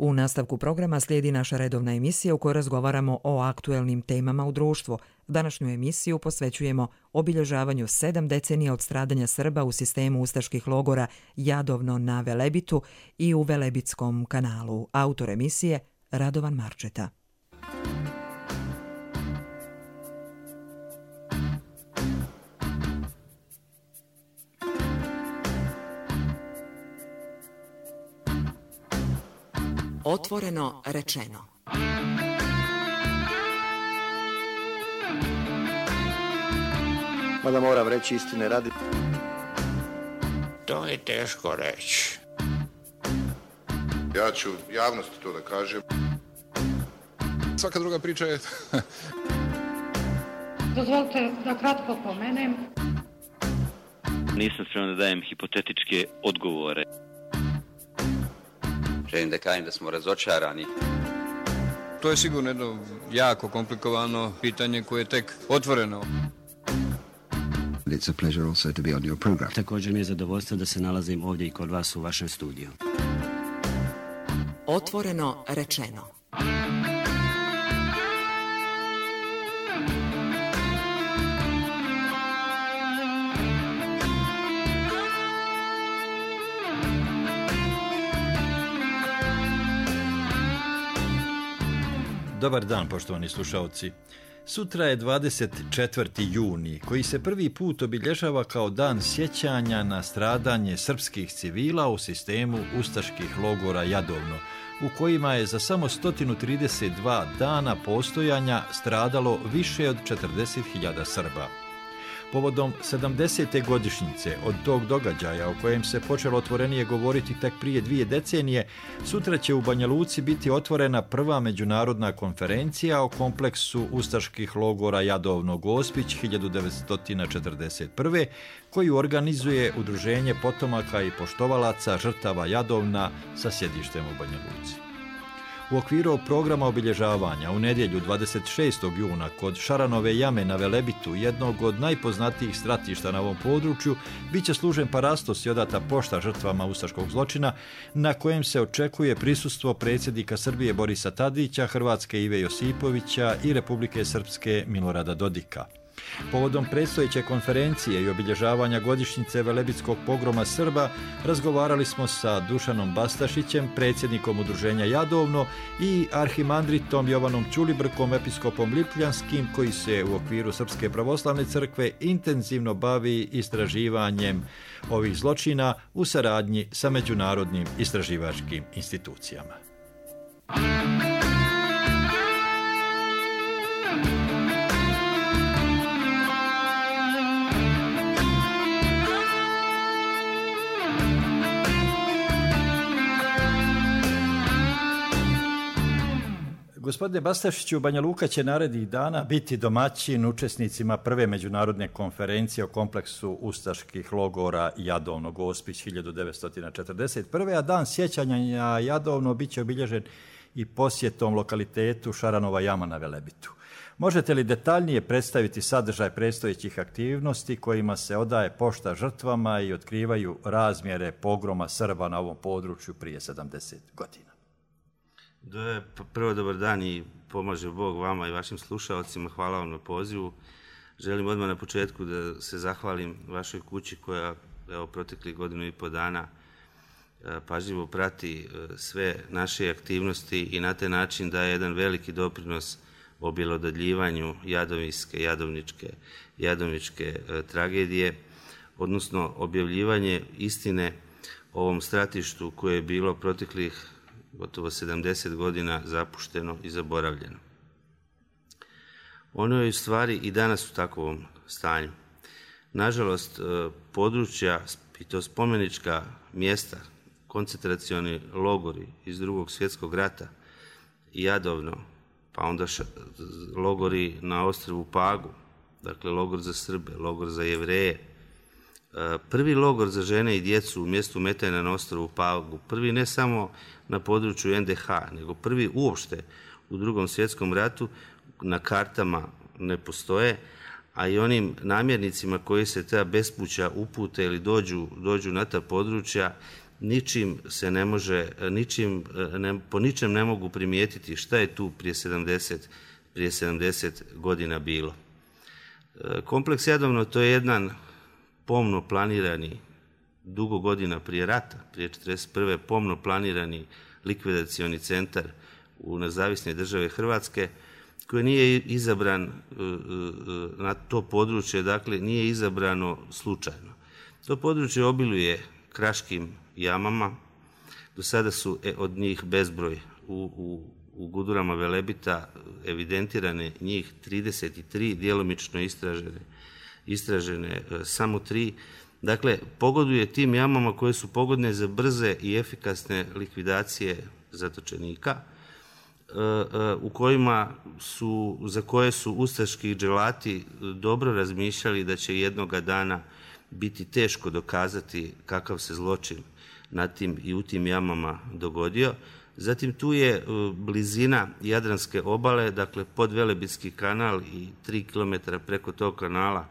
U nastavku programa slijedi naša redovna emisija u kojoj razgovaramo o aktuelnim temama u društvu. Današnju emisiju posvećujemo obilježavanju 7 decenija od stradanja Srba u sistemu ustaških logora Jadovno na Velebitu i u Velebitskom kanalu. Autor emisije Radovan Marčeta. Otvoreno rečeno. Mada moram reći istine radi. To je teško reći. Ja ću javnosti to da kažem. Svaka druga priča je... Dozvolite da kratko pomenem. Nisam spreman da dajem hipotetičke odgovore. Želim da kažem da smo razočarani. To je sigurno jedno jako komplikovano pitanje koje je tek otvoreno. It's a pleasure also to be on your program. Također mi je zadovoljstvo da se nalazim ovdje i kod vas u vašem studiju. Otvoreno rečeno. Dobar dan, poštovani slušalci. Sutra je 24. juni, koji se prvi put obilježava kao dan sjećanja na stradanje srpskih civila u sistemu ustaških logora Jadovno, u kojima je za samo 132 dana postojanja stradalo više od 40.000 Srba. Povodom 70. godišnjice od tog događaja o kojem se počelo otvorenije govoriti tek prije 2 decenije, sutra će u Banja Luci biti otvorena prva međunarodna konferencija o kompleksu ustaških logora Jadovno Gospić 1941. koju organizuje Udruženje potomaka i poštovalaca žrtava Jadovna sa sjedištem u Banja Luci. U okviru programa obilježavanja u nedjelju 26. juna kod Šaranove jame na Velebitu, jednog od najpoznatijih stratišta na ovom području, bit će služen parastos i odata pošta žrtvama ustaškog zločina, na kojem se očekuje prisustvo predsjednika Srbije Borisa Tadića, Hrvatske Ive Josipovića i Republike Srpske Milorada Dodika. Povodom predstojeće konferencije i obilježavanja godišnjice Velebitskog pogroma Srba razgovarali smo sa Dušanom Bastašićem, predsjednikom Udruženja Jadovno, i arhimandritom Jovanom Ćulibrkom, episkopom Lipljanskim, koji se u okviru Srpske pravoslavne crkve intenzivno bavi istraživanjem ovih zločina u saradnji sa međunarodnim istraživačkim institucijama. Gospodine Bastašiću, Banja Luka će narednih dana biti domaćin učesnicima prve međunarodne konferencije o kompleksu ustaških logora Jadovno Gospić 1941. A dan sjećanja na Jadovno bit će obilježen i posjetom lokalitetu Šaranova jama na Velebitu. Možete li detaljnije predstaviti sadržaj predstojećih aktivnosti kojima se odaje pošta žrtvama i otkrivaju razmjere pogroma Srba na ovom području prije 70 godina? Prvo dobar dan i pomaže Bog vama i vašim slušalcima. Hvala vam na pozivu. Želim odmah na početku da se zahvalim vašoj kući koja proteklih 1,5 dana pažljivo prati sve naše aktivnosti i na taj način daje jedan veliki doprinos objelodaljivanju jadovničke tragedije, odnosno objavljivanje istine o ovom stratištu koje je bilo proteklih gotovo 70 godina zapušteno i zaboravljeno. Ono je u stvari i danas u takvom stanju. Nažalost, područja i to spomenička mjesta, koncentracioni logori iz Drugog svjetskog rata i Jadovno, pa onda logori na ostrvu Pagu, dakle logor za Srbe, logor za Jevreje, prvi logor za žene i djecu u mjestu Metajna na ostrvu Pagu, prvi ne samo na području NDH, nego prvi uopšte u Drugom svjetskom ratu, na kartama ne postoje, a i onim namjernicima koji se ta bespuća upute ili dođu na ta područja ničim se ne može, po ničem ne mogu primijetiti šta je tu prije 70 godina bilo. Kompleks Jadovno to je jedan pomno planirani, dugo godina prije rata, prije 1941. pomno planirani likvidacioni centar u nezavisne države Hrvatske, koji nije izabran na to područje, dakle nije izabrano slučajno. To područje obiluje kraškim jamama, do sada su od njih bezbroj u Gudurama Velebita evidentirane njih 33, djelomično istražene samo 3. Dakle, pogoduje tim jamama koje su pogodne za brze i efikasne likvidacije zatočenika, za koje su ustaški dželati dobro razmišljali da će jednoga dana biti teško dokazati kakav se zločin na tim i u tim jamama dogodio. Zatim tu je blizina Jadranske obale, dakle Podvelebitski kanal i 3 km preko tog kanala,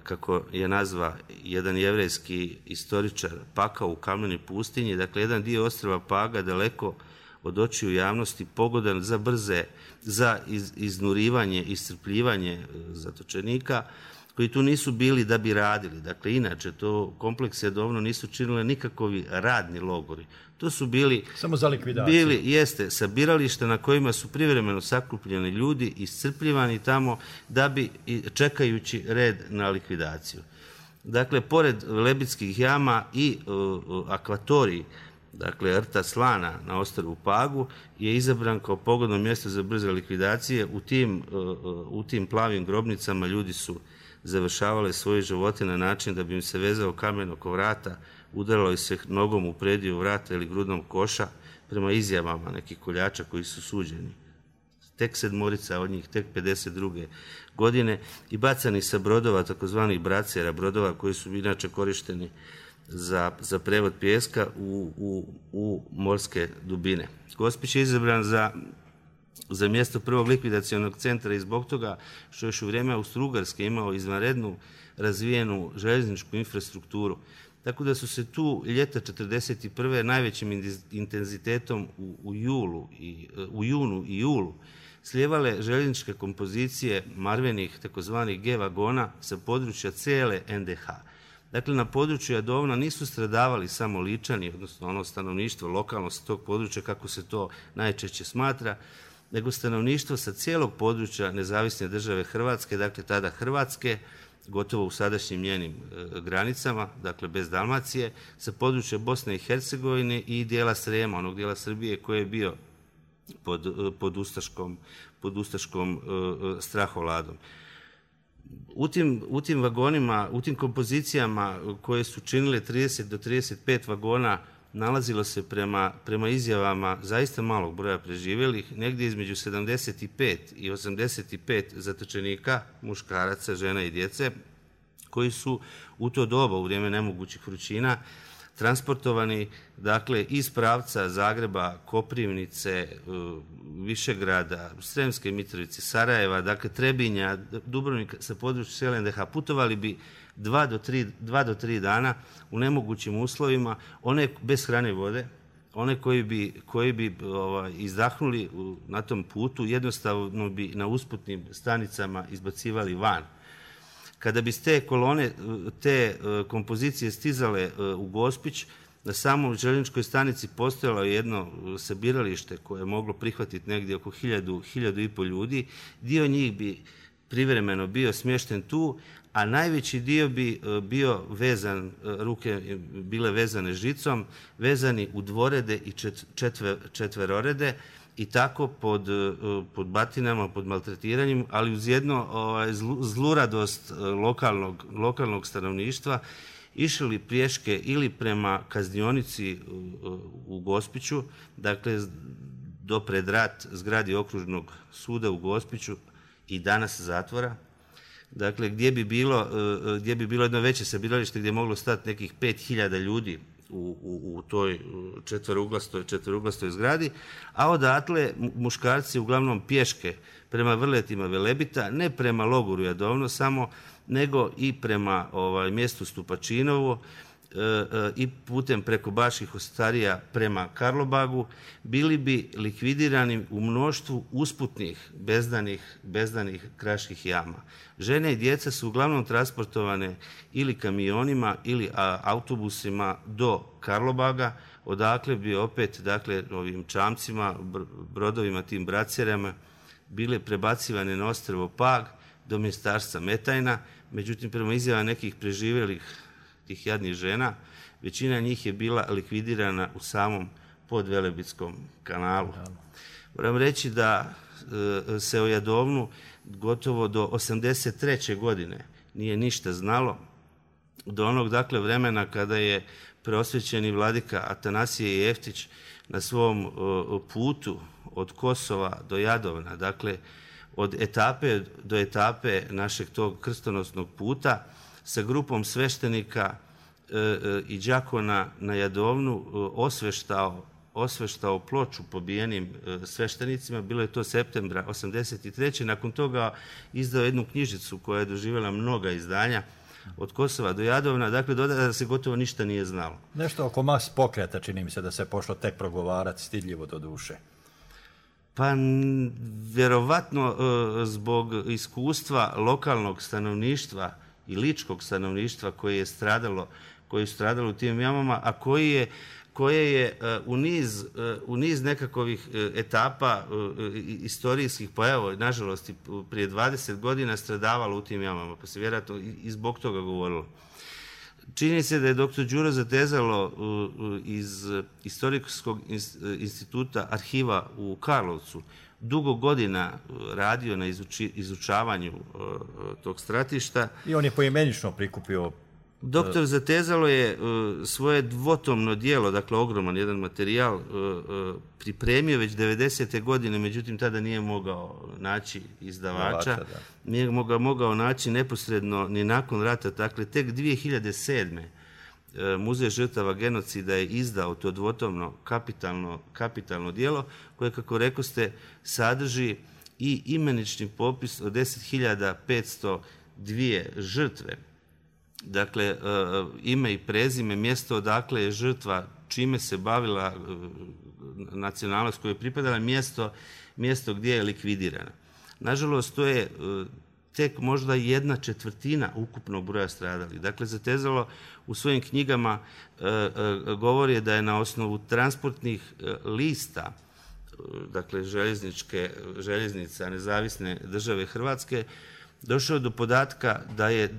kako je nazva jedan jevrejski istoričar, Pakao u Kamenoj pustinji, dakle jedan dio ostrva Paga daleko od očiju javnosti, pogodan za iznurivanje, iscrpljivanje zatočenika, koji tu nisu bili da bi radili. Dakle, inače, to kompleks Jadovno nisu činile nikakvi radni logori. To su bili... Samo za likvidaciju. Jeste, sabiralište na kojima su privremeno sakupljeni ljudi, iscrpljivani tamo da bi, čekajući red na likvidaciju. Dakle, pored Velebitskih jama i akvatorij, dakle, rta Slana na ostrvu Pagu je izabran kao pogodno mjesto za brze likvidacije. U tim plavim grobnicama ljudi su završavale svoje živote na način da bi im se vezao kamen oko vrata, udaralo se nogom u prediju vrata ili grudnom koša, prema izjavama nekih koljača koji su suđeni. Tek 7 od njih, tek 52. godine, i bacani sa brodova, takozvanih bracera, brodova koji su inače korišteni za prevod pijeska u morske dubine. Gospić je izabran za mjesto prvog likvidacionog centra i zbog toga što još u vrijeme Austro-Ugarske imao izvanrednu razvijenu željezničku infrastrukturu. Tako da su se tu ljeta 1941. najvećim intenzitetom u junu i julu slijevale željezničke kompozicije marvenih takozvanih G vagona sa područja cijele NDH. Dakle, na području Jadovna nisu stradavali samo Ličani, odnosno ono stanovništvo lokalno sa tog područja, kako se to najčešće smatra, nego stanovništvo sa cijelog područja nezavisne države Hrvatske, dakle tada Hrvatske, gotovo u sadašnjim njenim granicama, dakle bez Dalmacije, sa područja Bosne i Hercegovine i dijela Srijema, onog dijela Srbije koji je bio pod ustaškom strahovladom. U tim vagonima, u tim kompozicijama koje su činile 30 do 35 vagona, nalazilo se prema izjavama zaista malog broja preživjelih, negdje između 75 i 85 zatočenika, muškaraca, žena i djece, koji su u to doba, u vrijeme nemogućih vrućina, transportovani, dakle, iz pravca Zagreba, Koprivnice, Višegrada, Sremske Mitrovice, Sarajeva, dakle Trebinja, Dubrovnika, sa područja cijele NDH, putovali bi 2 do 3 dana u nemogućim uslovima, one bez hrane i vode, one koji bi izdahnuli na tom putu, jednostavno bi na usputnim stanicama izbacivali van. Kada bi te kolone, te kompozicije stizale u Gospić, na samoj željezničkoj stanici postojalo jedno sabiralište koje je moglo prihvatiti negdje oko 1000 ljudi. Dio njih bi privremeno bio smješten tu, a najveći dio bi bio vezan, ruke bile vezane žicom, vezani u dvorede i četverorede, i tako pod batinama, pod maltretiranjem, ali uz jedno zluradost lokalnog stanovništva, išli pješke ili prema kaznionici u Gospiću, dakle do pred rat zgradi okružnog suda u Gospiću i danas zatvora, dakle gdje bi bilo jedno veće sabiralište gdje je moglo stati nekih 5000 ljudi u toj četverouglastoj zgradi, a odatle muškarci uglavnom pješke prema vrletima Velebita, ne prema logoru Jadovno samo, nego i prema mjestu Stupačinovo, i putem preko Baških Ostarija prema Karlobagu, bili bi likvidirani u mnoštvu usputnih bezdanih kraških jama. Žene i djeca su uglavnom transportovane ili kamionima ili autobusima do Karlobaga, odakle bi opet, dakle, ovim čamcima, brodovima, tim bracerama, bile prebacivane na ostrvo Pag do mjestarstva Metajna. Međutim, prema izjava nekih preživjelih tih jadnih žena, većina njih je bila likvidirana u samom Podvelebitskom kanalu. Moram reći da se o Jadovnu gotovo do 1983. godine nije ništa znalo, do onog, dakle, vremena kada je preosvećeni vladika Atanasije Jeftić na svom putu od Kosova do Jadovna, dakle, od etape do etape našeg tog krstonosnog puta, sa grupom sveštenika i đakona na Jadovnu osveštao ploču pobijenim sveštenicima. Bilo je to septembra 1983. Nakon toga izdao jednu knjižicu koja je doživjela mnoga izdanja od Kosova do Jadovna. Dakle, da se gotovo ništa nije znalo. Nešto oko mas pokreta, čini mi se da se pošlo tek progovarati, stidljivo do duše. Pa, vjerovatno zbog iskustva lokalnog stanovništva i ličkog stanovništva koji je stradalo u tim jamama, a koje je u niz nekakvih etapa istorijskih, pa evo, nažalost, prije 20 godina stradavalo u tim jamama, pa se vjerojatno i zbog toga govorilo. Čini se da je dr. Đuro Zatezalo iz Istorijskog instituta arhiva u Karlovcu dugo godina radio na izučavanju tog stratišta. I on je poimenično prikupio. Doktor Zatezalo je svoje dvotomno djelo, dakle ogroman jedan materijal, pripremio već 90. godine, međutim tada nije mogao naći izdavača, nije mogao naći neposredno ni nakon rata. Dakle, tek 2007. Muzej žrtava genocida je izdao to dvotomno kapitalno djelo, koje, kako rekoste, sadrži i imenični popis od 10.502 žrtve. Dakle, ime i prezime, mjesto odakle je žrtva, čime se bavila, nacionalnost koju je pripadala, mjesto gdje je likvidirana. Nažalost, to je tek možda 1/4 ukupnog broja stradalih. Dakle, Zatezalo u svojim knjigama govori da je na osnovu transportnih lista, dakle željeznica Nezavisne države Hrvatske, došao do podatka da je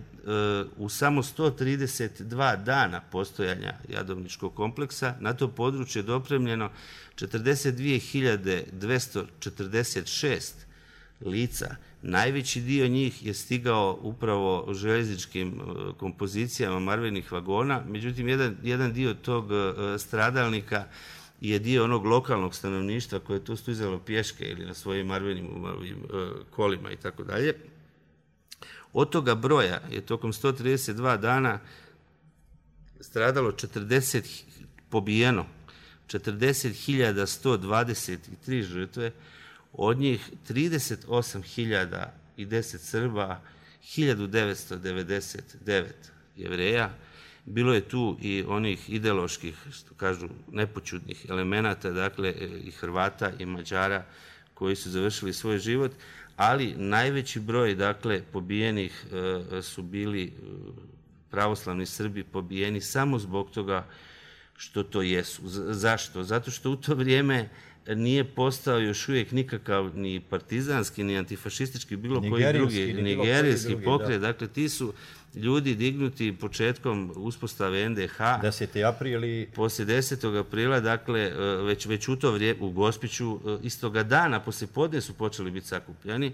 u samo 132 dana postojanja Jadovničkog kompleksa na to područje dopremljeno 42.246 lica. Najveći dio njih je stigao upravo željezničkim kompozicijama marvenih vagona, međutim jedan dio tog stradalnika je dio onog lokalnog stanovništva koje je tu stizalo pješke ili na svojim marvenim kolima i tako dalje. Od toga broja je tokom 132 dana stradalo pobijeno 40.123 žrtve, od njih 38.010 Srba, 1999 Jevreja. Bilo je tu i onih ideoloških, što kažu, nepoćudnih elemenata, dakle i Hrvata i Mađara koji su završili svoj život, ali najveći broj, dakle, pobijenih su bili pravoslavni Srbi, pobijeni samo zbog toga što to jesu. Zašto? Zato što u to vrijeme nije postao još uvijek nikakav ni partizanski, ni antifašistički, bilo koji drugi, nigerijski pokret. Dakle, ti su ljudi dignuti početkom uspostave NDH. 10. aprili. Poslije 10. aprila, dakle, već u to vrijeme, u Gospiću, istoga dana, poslije podne su počeli biti sakupljani.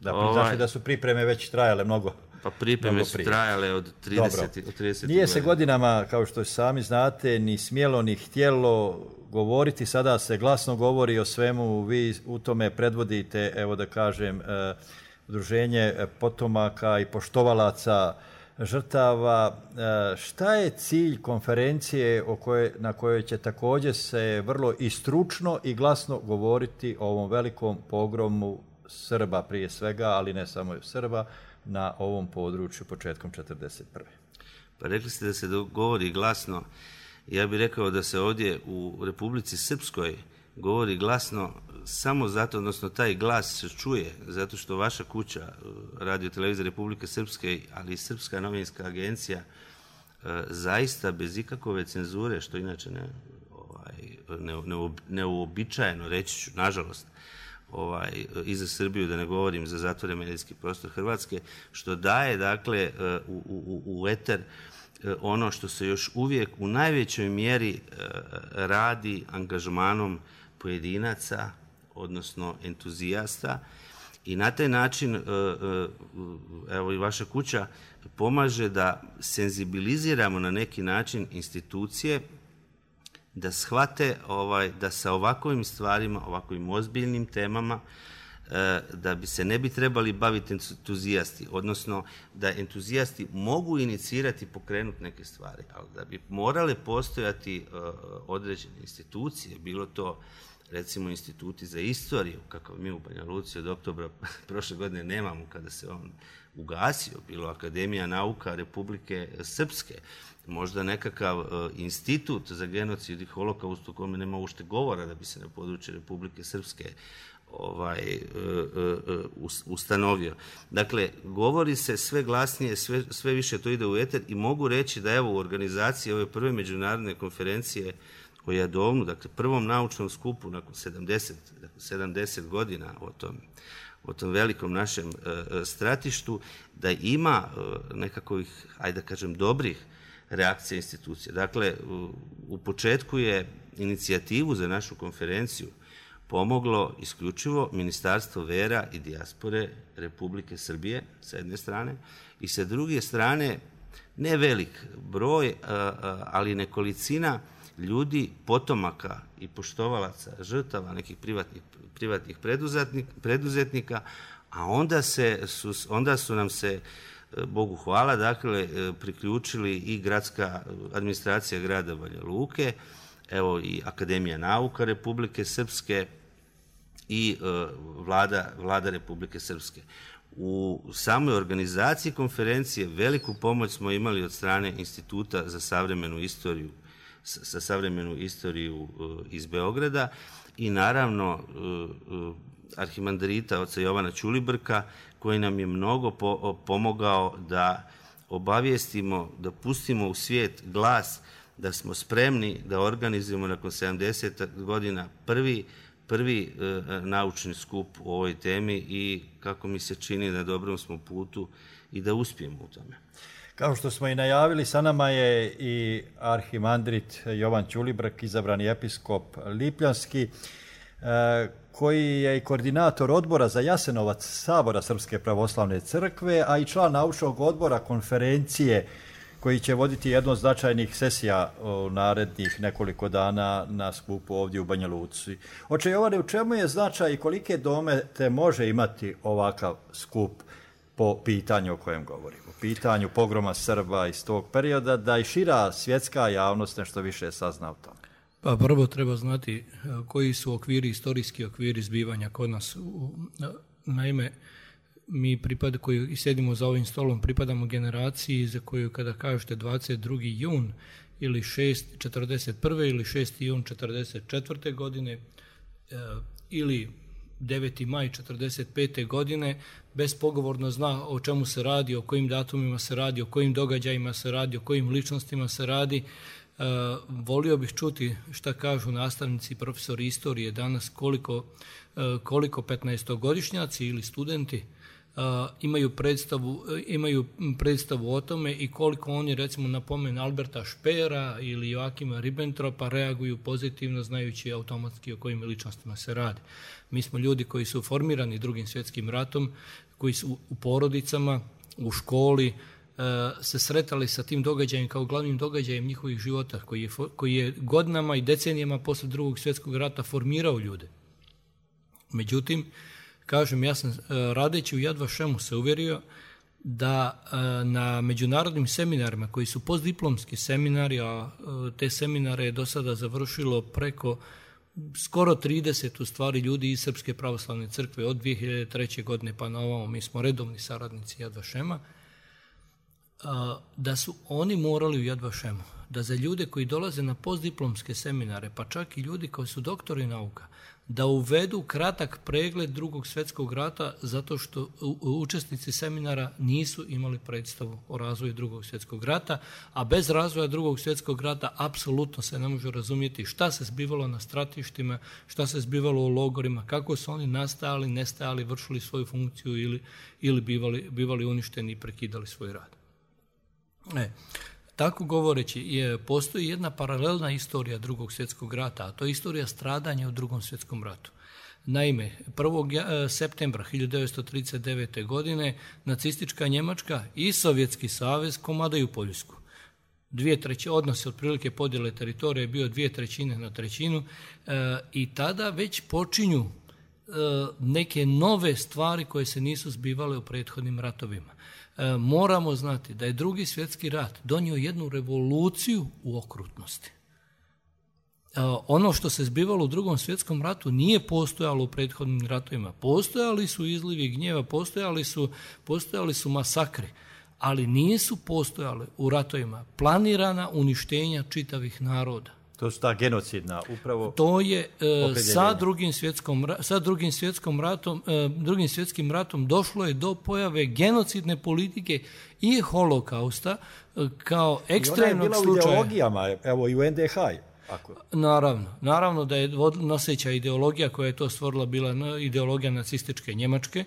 Znači da su pripreme već trajale mnogo. Pa pripreme su trajale od 30. Nije se godinama, kao što sami znate, ni smjelo ni htjelo govoriti. Sada se glasno govori o svemu. Vi u tome predvodite, evo da kažem, udruženje potomaka i poštovalaca žrtava. Šta je cilj konferencije na kojoj će također se vrlo i stručno i glasno govoriti o ovom velikom pogromu Srba prije svega, ali ne samo Srba, na ovom području početkom 1941. Pa rekli ste da se govori glasno. Ja bih rekao da se ovdje u Republici Srpskoj govori glasno samo zato, odnosno taj glas se čuje zato što vaša kuća, Radio Televizija Republike Srpske, ali i Srpska novinska agencija, zaista bez ikakove cenzure, što inače neuobičajeno, reći ću, nažalost, i za Srbiju, da ne govorim za zatvore medijski prostor Hrvatske, što daje, dakle, u eter ono što se još uvijek u najvećoj mjeri radi angažmanom pojedinaca, odnosno entuzijasta, i na taj način, evo i vaša kuća pomaže da senzibiliziramo na neki način institucije da shvate da sa ovakvim stvarima, ovakvim ozbiljnim temama, da bi se ne bi trebali baviti entuzijasti, odnosno da entuzijasti mogu inicirati, pokrenuti neke stvari, ali da bi morale postojati određene institucije, bilo to recimo instituti za istoriju, kakav mi u Banja Luci od oktobra prošle godine nemamo kada se on ugasio, bilo Akademija nauka Republike Srpske, možda nekakav institut za genocid i holokaust u kome nema uopšte govora da bi se na području Republike Srpske ustanovio. Dakle, govori se sve glasnije, sve više to ide u eter i mogu reći da evo u organizaciji ove prve međunarodne konferencije o Jadovnu, dakle prvom naučnom skupu nakon 70 godina o tom velikom našem stratištu, da ima nekakvih, ajde da kažem, dobrih reakcija institucija. Dakle, u početku je inicijativu za našu konferenciju pomoglo isključivo Ministarstvo vera i dijaspore Republike Srbije sa jedne strane i sa druge strane ne velik broj, ali nekolicina ljudi, potomaka i poštovalaca, žrtava nekih privatnih preduzetnika, a onda su nam se, Bogu hvala, dakle, priključili i gradska administracija grada Banja Luke, evo i Akademija nauka Republike Srpske i vlada Republike Srpske. U samoj organizaciji konferencije veliku pomoć smo imali od strane Instituta za savremenu istoriju iz Beograda i naravno arhimandrita oca Jovana Ćulibrka, koji nam je mnogo pomogao da obavijestimo, da pustimo u svijet glas da smo spremni da organizujemo nakon 70 godina prvi naučni skup u ovoj temi i kako mi se čini na dobrom smo putu i da uspijemo u tome. Kao što smo i najavili, sa nama je i arhimandrit Jovan Ćulibrk, izabrani episkop Lipljanski, koji je i koordinator odbora za Jasenovac Sabora Srpske pravoslavne crkve, a i član naučnog odbora konferencije koji će voditi jednu od značajnih sesija u narednih nekoliko dana na skupu ovdje u Banja Luci. Oče Jovane, u čemu je značaj i kolike domete može imati ovakav skup po pitanju o kojem govorimo? Pitanju pogroma Srba iz tog perioda, da i šira svjetska javnost nešto više sazna o tome. Pa prvo treba znati koji su istorijski okviri zbivanja kod nas. Naime, mi koji sjedimo za ovim stolom pripadamo generaciji za koju kada kažete 22. jun ili 6.41. ili 6. jun 44. godine ili 9. maj 45. godine, bespogovorno zna o čemu se radi, o kojim datumima se radi, o kojim događajima se radi, o kojim ličnostima se radi. Volio bih čuti šta kažu nastavnici i profesori istorije danas, koliko 15-godišnjaci ili studenti imaju predstavu o tome i koliko oni, recimo, na pomen Alberta Špera ili Joakima Ribbentropa reaguju pozitivno, znajući automatski o kojim ličnostima se radi. Mi smo ljudi koji su formirani Drugim svjetskim ratom, koji su u porodicama, u školi, se sretali sa tim događajem kao glavnim događajem njihovih života, koji je godinama i decenijama posle Drugog svjetskog rata formirao ljude. Međutim, kažem, ja sam radeći u Yad Vašemu se uvjerio da na međunarodnim seminarima koji su postdiplomski seminari, a te seminare je do sada završilo preko skoro 30 u stvari ljudi iz Srpske pravoslavne crkve od 2003. godine pa na ovamo, mi smo redovni saradnici Yad Vašema, da su oni morali u Yad Vašemu, da za ljude koji dolaze na postdiplomske seminare, pa čak i ljudi koji su doktori nauka, da uvedu kratak pregled Drugog svjetskog rata zato što učesnici seminara nisu imali predstavu o razvoju Drugog svjetskog rata, a bez razvoja Drugog svjetskog rata apsolutno se ne može razumjeti šta se zbivalo na stratištima, šta se zbivalo u logorima, kako su oni nastajali, nestajali, vršili svoju funkciju ili bivali uništeni i prekidali svoj rad. Tako govoreći, postoji jedna paralelna istorija Drugog svjetskog rata, a to je istorija stradanja u Drugom svjetskom ratu. Naime, 1. septembra 1939. godine nacistička Njemačka i Sovjetski savez komadaju Poljsku. 2/3, odnos otprilike podjele teritorije je bio 2/3 i tada već počinju neke nove stvari koje se nisu zbivale u prethodnim ratovima. Moramo znati da je Drugi svjetski rat donio jednu revoluciju u okrutnosti. Ono što se zbivalo u Drugom svjetskom ratu nije postojalo u prethodnim ratovima. Postojali su izlivi gnjeva, postojali su masakri, ali nisu postojale u ratovima planirana uništenja čitavih naroda. To su ta genocidna upravo. To je sa drugim svjetskim ratom došlo je do pojave genocidne politike i holokausta kao ekstremnog slučaja. I ona je bila u ideologijama, evo i u NDH. Naravno da je noseća ideologija koja je to stvorila bila ideologija nacističke Njemačke,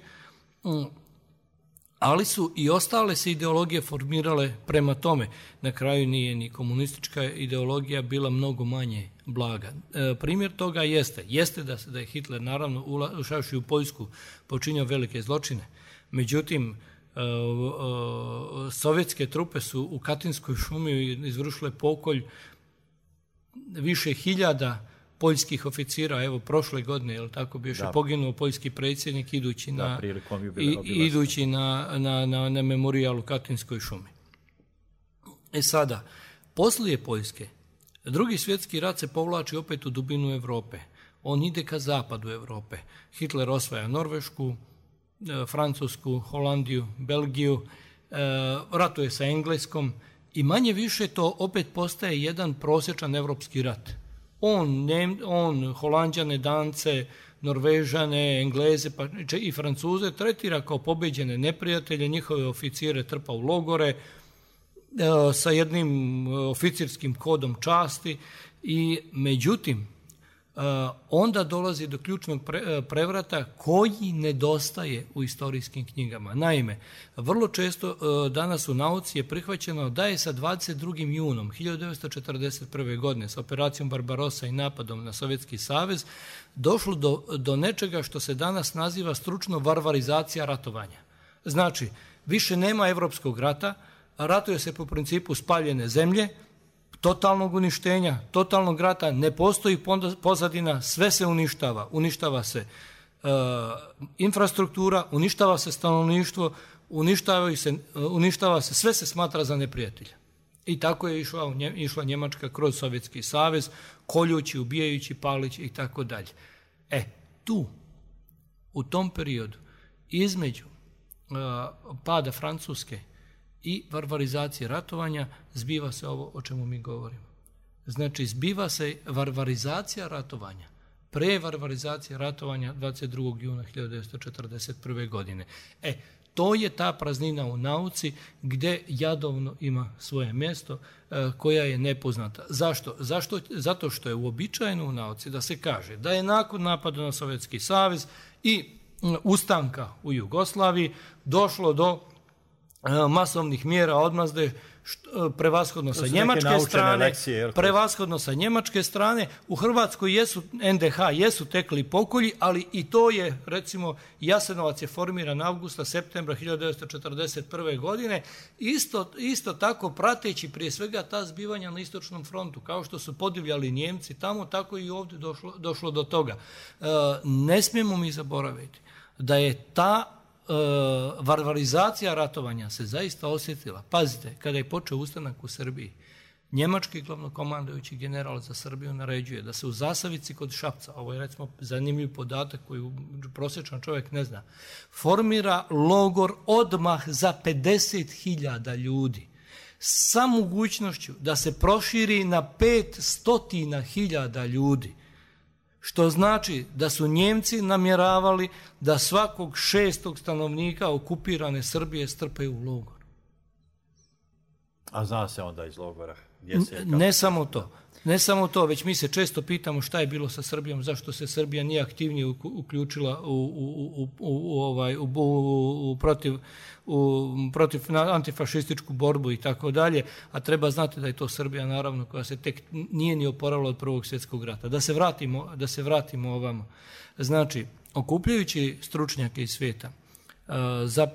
ali su i ostale se ideologije formirale prema tome. Na kraju nije ni komunistička ideologija bila mnogo manje blaga. Primjer toga jeste da je Hitler naravno ušavši u Poljsku počinio velike zločine. Međutim, sovjetske trupe su u Katinskoj šumi izvršile pokolj više hiljada poljskih oficira. Evo, prošle godine, jel tako, bi još poginuo poljski predsjednik idući na memorijal u Katinskoj šumi. Sada, poslije Poljske, Drugi svjetski rat se povlači opet u dubinu Europe. On ide ka zapadu Europe. Hitler osvaja Norvešku, Francusku, Holandiju, Belgiju, ratuje sa Engleskom i manje više to opet postaje jedan prosječan evropski rat. On Holanđane, Dance, Norvežane, Engleze pa i Francuze tretira kao pobeđene neprijatelje, njihove oficire trpa u logore sa jednim oficirskim kodom časti i međutim onda dolazi do ključnog prevrata koji nedostaje u istorijskim knjigama. Naime, vrlo često danas u nauci je prihvaćeno da je sa 22. junom 1941. godine s operacijom Barbarossa i napadom na Sovjetski savez došlo do nečega što se danas naziva stručno varvarizacija ratovanja. Znači, više nema evropskog rata, ratuje se po principu spaljene zemlje, totalnog uništenja, totalnog rata, ne postoji pozadina, sve se uništava. Uništava se infrastruktura, uništava se stanovništvo, uništava se, sve se smatra za neprijatelja. I tako je išla Njemačka kroz Sovjetski savez, koljući, ubijajući, palići i tako dalje. U tom periodu, između pada Francuske i varvarizacije ratovanja, zbiva se ovo o čemu mi govorimo. Znači, zbiva se varvarizacija ratovanja, prevarvarizacija ratovanja 22. juna 1941. godine. To je ta praznina u nauci gdje Jadovno ima svoje mjesto koja je nepoznata. Zašto? Zato što je uobičajeno u nauci da se kaže da je nakon napada na Sovjetski savez i ustanka u Jugoslaviji došlo do masovnih mjera odmazde prevashodno sa njemačke strane. U Hrvatskoj NDH jesu tekli pokolji, ali i to je, recimo, Jasenovac je formiran avgusta, septembra 1941. godine, isto tako prateći prije svega ta zbivanja na istočnom frontu, kao što su podivljali Njemci tamo, tako i ovdje došlo do toga. Ne smijemo mi zaboraviti da je ta varvarizacija ratovanja se zaista osjetila. Pazite, kada je počeo ustanak u Srbiji, Njemački glavnokomandujući general za Srbiju naređuje da se u Zasavici kod Šapca, ovo je recimo zanimljiv podatak koji prosječan čovjek ne zna, formira logor odmah za 50.000 ljudi sa mogućnošću da se proširi na 500.000 ljudi. Što znači da su Njemci namjeravali da svakog 6. stanovnika okupirane Srbije strpaju u logor. A zna se onda iz logora? Ne samo to, već mi se često pitamo šta je bilo sa Srbijom, zašto se Srbija nije aktivnije uključila protiv antifašističku borbu i tako dalje, a treba znati da je to Srbija naravno koja se tek nije ni oporavila od Prvog svjetskog rata. Da se vratimo ovamo. Znači, okupljajući stručnjake iz svijeta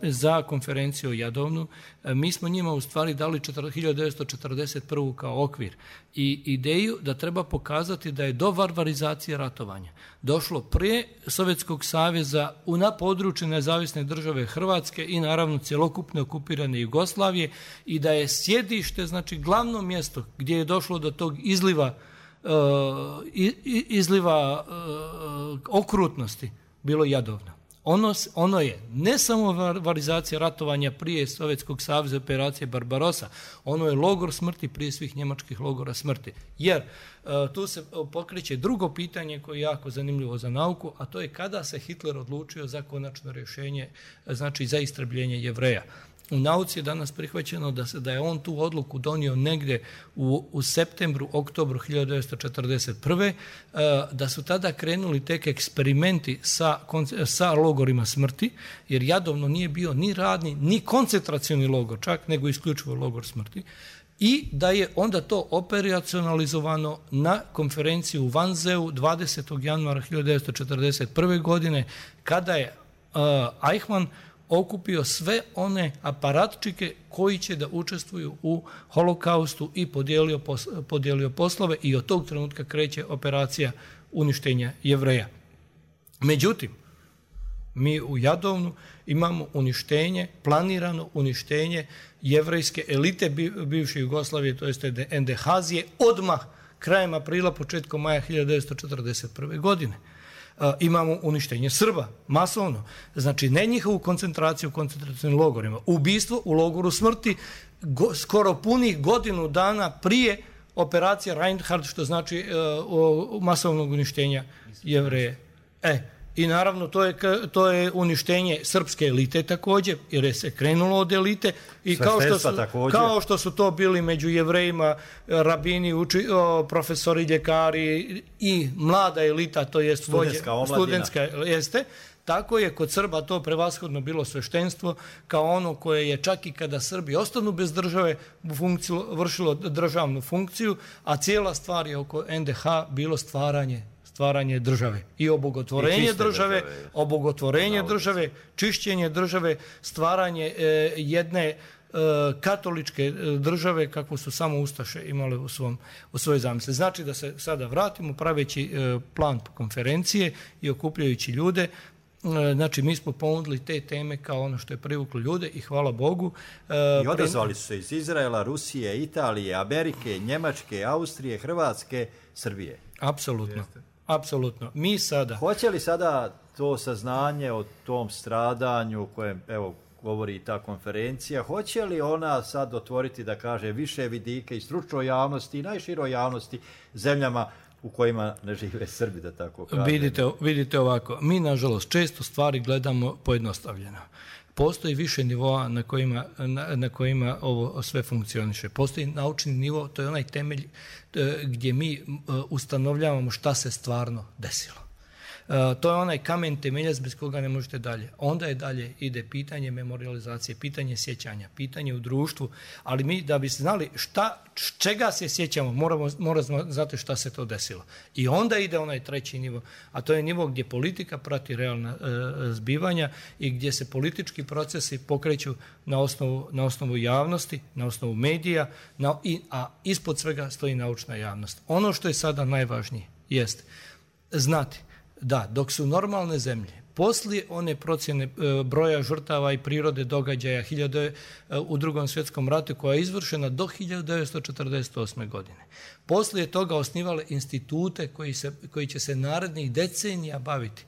za konferenciju o Jadovnu, mi smo njima u stvari dali 1941. kao okvir i ideju da treba pokazati da je do varvarizacije ratovanja došlo prije Sovjetskog saveza na području nezavisne države Hrvatske i naravno cjelokupne okupirane Jugoslavije i da je sjedište, znači glavno mjesto gdje je došlo do tog izliva okrutnosti bilo Jadovno. Ono je ne samo varvarizacija ratovanja prije Sovjetskog saveza, operacije Barbarossa, ono je logor smrti prije svih njemačkih logora smrti. Jer tu se pokreće drugo pitanje koje je jako zanimljivo za nauku, a to je kada se Hitler odlučio za konačno rješenje, znači za istrebljenje Jevreja. U nauci je danas prihvaćeno da je on tu odluku donio negdje u septembru, oktobru 1941. Da su tada krenuli tek eksperimenti sa logorima smrti, jer Jadovno nije bio ni radni, ni koncentracioni logor čak, nego isključivo logor smrti. I da je onda to operacionalizovano na konferenciju u Wannseu 20. januara 1941. godine, kada je Eichmann okupio sve one aparatčike koji će da učestvuju u holokaustu i podijelio poslove i od tog trenutka kreće operacija uništenja Jevreja. Međutim, mi u Jadovnu imamo planirano uništenje jevrejske elite bivše Jugoslavije, to jest NDH-zije, odmah krajem aprila, početkom maja 1941. godine. Imamo uništenje Srba, masovno. Znači, ne njihovu koncentraciju u koncentracijnim logorima. Ubistvo u logoru smrti skoro punih godinu dana prije operacije Reinhard, što znači masovnog uništenja Jevreje. I naravno to je uništenje srpske elite također, jer je se krenulo od elite i kao što su to bili među Jevrejima rabini, profesori, ljekari i mlada elita, to je studentska jeste, tako je kod Srba to prevashodno bilo sveštenstvo kao ono koje je čak i kada Srbi ostanu bez države vršilo državnu funkciju, a cijela stvar je oko NDH bilo stvaranje države i obogotvorenje države, čišćenje države, stvaranje jedne katoličke države kakvu su samo ustaše imale u svojoj zamisli. Znači da se sada vratimo praveći plan konferencije i okupljajući ljude. Znači mi smo ponudili te teme kao ono što je privuklo ljude i hvala Bogu. I odazvali su se iz Izraela, Rusije, Italije, Amerike, Njemačke, Austrije, Hrvatske, Srbije. Apsolutno. Mi sada... Hoće li sada to saznanje o tom stradanju kojem, govori i ta konferencija, hoće li ona sad otvoriti, da kaže, više vidike i stručnoj javnosti i najširoj javnosti zemljama u kojima ne žive Srbi, da tako kažem? Vidite ovako, mi nažalost često stvari gledamo pojednostavljeno. Postoji više nivoa na kojima ovo sve funkcioniše. Postoji naučni nivo, to je onaj temelj gdje mi ustanovljavamo šta se stvarno desilo. To je onaj kamen temeljac bez koga ne možete dalje. Onda je dalje ide pitanje memorializacije, pitanje sjećanja, pitanje u društvu, ali mi da bi znali čega se sjećamo, moramo znati šta se to desilo. I onda ide onaj treći nivo, a to je nivo gdje politika prati realna zbivanja i gdje se politički procesi pokreću na osnovu javnosti, na osnovu medija, a ispod svega stoji naučna javnost. Ono što je sada najvažnije jest znati da dok su normalne zemlje Poslije one procjene broja žrtava i prirode događaja u Drugom svjetskom ratu koja je izvršena do 1948. godine. Poslije toga osnivale institute koji će se narednih decenija baviti.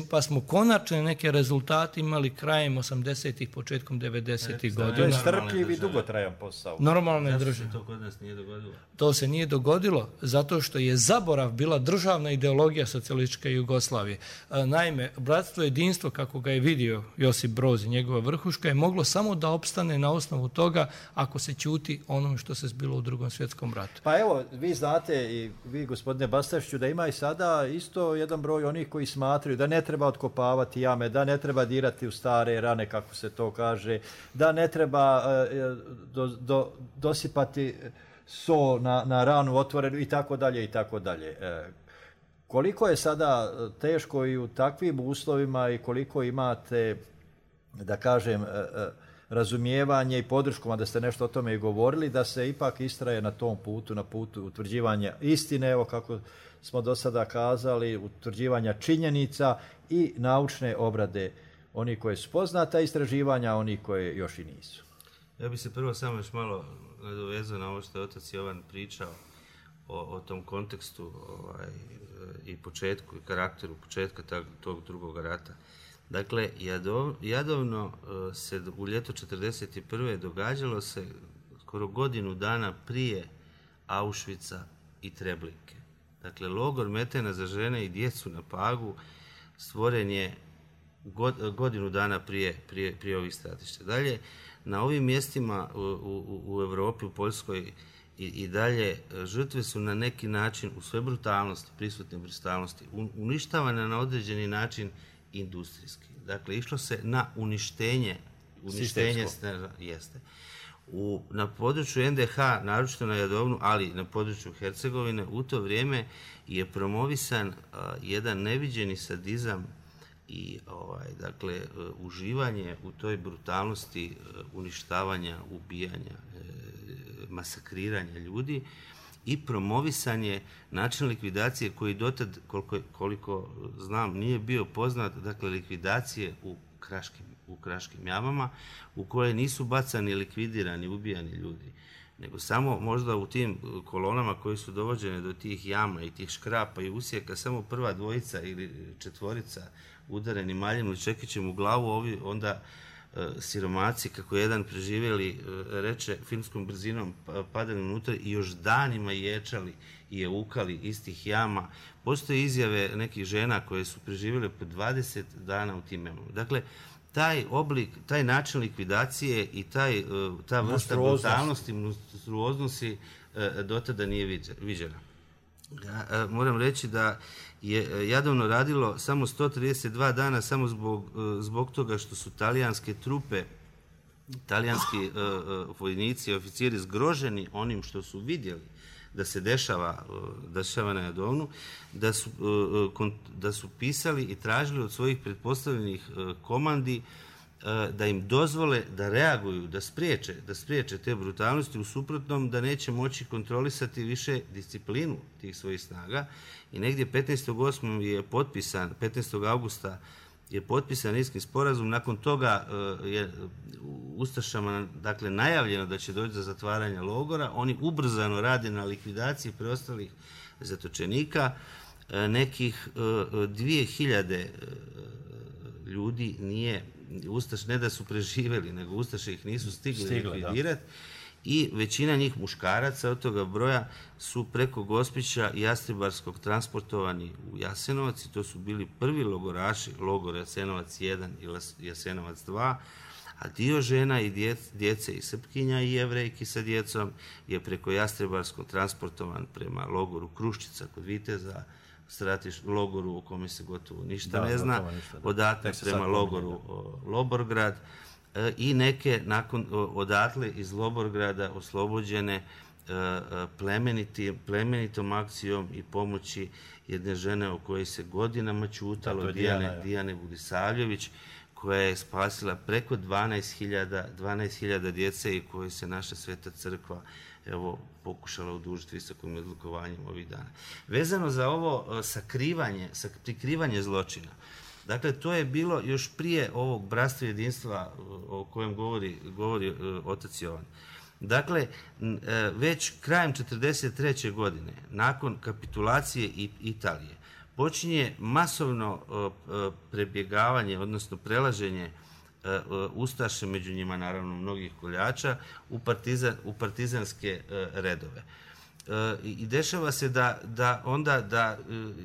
Pa smo konačne neke rezultate imali krajem 80-ih, početkom 90-ih godina. To je strpljiv i dugotrajan posao. Normalne države. To kod nas nije dogodilo? To se nije dogodilo zato što je zaborav bila državna ideologija socijalističke Jugoslavije. Naime, bratstvo i jedinstvo, kako ga je vidio Josip Broz i njegova vrhuška, je moglo samo da opstane na osnovu toga ako se ćuti onome što se zbilo u Drugom svjetskom ratu. Pa evo, vi znate i vi, gospodine Bastašću, da ima i sada isto jedan broj onih koji smatraju da ne treba otkopavati jame, da ne treba dirati u stare rane, kako se to kaže, da ne treba dosipati so na ranu otvorenu i tako dalje i tako dalje. Koliko je sada teško i u takvim uslovima i koliko imate, da kažem, razumijevanje i podršku, mada ste nešto o tome i govorili, da se ipak istraje na tom putu, na putu utvrđivanja istine, evo kako smo do sada kazali, utvrđivanja činjenica i naučne obrade oni koji su poznata, istraživanja oni koji još i nisu. Ja bih se prvo samo još malo nadovezao na ovo što je otac Jovan pričao o tom kontekstu i početku i karakteru početka tog drugog rata. Dakle, Jadovno se u ljeto 1941. događalo se skoro godinu dana prije Auschwitza i Treblinke. Dakle, logor Metena za žene i djecu na Pagu stvoren je godinu dana prije ovih stratišta. Dalje, na ovim mjestima u Europi, u Poljskoj i dalje, žrtve su na neki način u sve brutalnosti, prisutne brutalnosti, uništavane na određeni način industrijski. Dakle, išlo se na uništenje jeste. Na području NDH, naročito na Jadovnu, ali na području Hercegovine, u to vrijeme je promovisan jedan neviđeni sadizam i dakle, uživanje u toj brutalnosti uništavanja, ubijanja, masakriranja ljudi i promovisanje način likvidacije koji dotad, koliko znam, nije bio poznat, dakle likvidacije u kraškim jamama u koje nisu bacani, likvidirani, ubijani ljudi, nego samo možda u tim kolonama koje su dovođene do tih jama i tih škrapa i usjeka samo prva dvojica ili četvorica udareni maljem ili čekićem u glavu, ovi onda siromaci, kako jedan preživjeli reče, filmskom brzinom padali unutra i još danima ječali i jeukali iz tih jama. Postoje izjave nekih žena koje su preživjele po 20 dana u tim jamama. Dakle, taj oblik, taj način likvidacije i ta vrsta brutalnosti, monstruoznosti do tada nije viđena. Ja moram reći da je Jadovno radilo samo 132 dana samo zbog toga što su talijanske trupe, talijanski vojnici i oficiri zgroženi onim što su vidjeli da se dešava na Jadovnu, da su pisali i tražili od svojih pretpostavljenih komandi da im dozvole da reaguju, da spriječe te brutalnosti, u suprotnom da neće moći kontrolisati više disciplinu tih svojih snaga. I negdje 15. je potpisan, 15. augusta je potpisan Niški sporazum. Nakon toga je ustašama, dakle, najavljeno da će doći do zatvaranja logora. Oni ubrzano rade na likvidaciji preostalih zatočenika. Nekih 2000 ljudi nije Ustaš, ne da su preživjeli, nego Ustaše ih nisu stigli likvidirati. I većina njih muškaraca od toga broja su preko Gospića i Jastrebarskog transportovani u Jasenovac i to su bili prvi logoraši, logor Jasenovac 1 i Jasenovac 2, a dio žena i djece i Srpkinja i Jevrejki sa djecom je preko Jastrebarskog transportovan prema logoru Kruščica kod Viteza, logoru o kome se gotovo ništa ne zna, odatle prema logoru Loborgrad i neke odatle iz Loborgrada oslobođene plemenitom akcijom i pomoći jedne žene o kojoj se godinama ćutalo, Dijane Budisavljević, koja je spasila preko 12.000 djece i koje se naša Sveta crkva pokušala odužiti visokim odlikovanjem ovih dana. Vezano za ovo prikrivanje zločina, Dakle, to je bilo još prije ovog bratstva jedinstva o kojem govori otac Jovan. Dakle, već krajem 1943. godine, nakon kapitulacije Italije, počinje masovno prebjegavanje, odnosno prelaženje ustaše, među njima naravno mnogih koljača, u partizanske redove. I dešava se da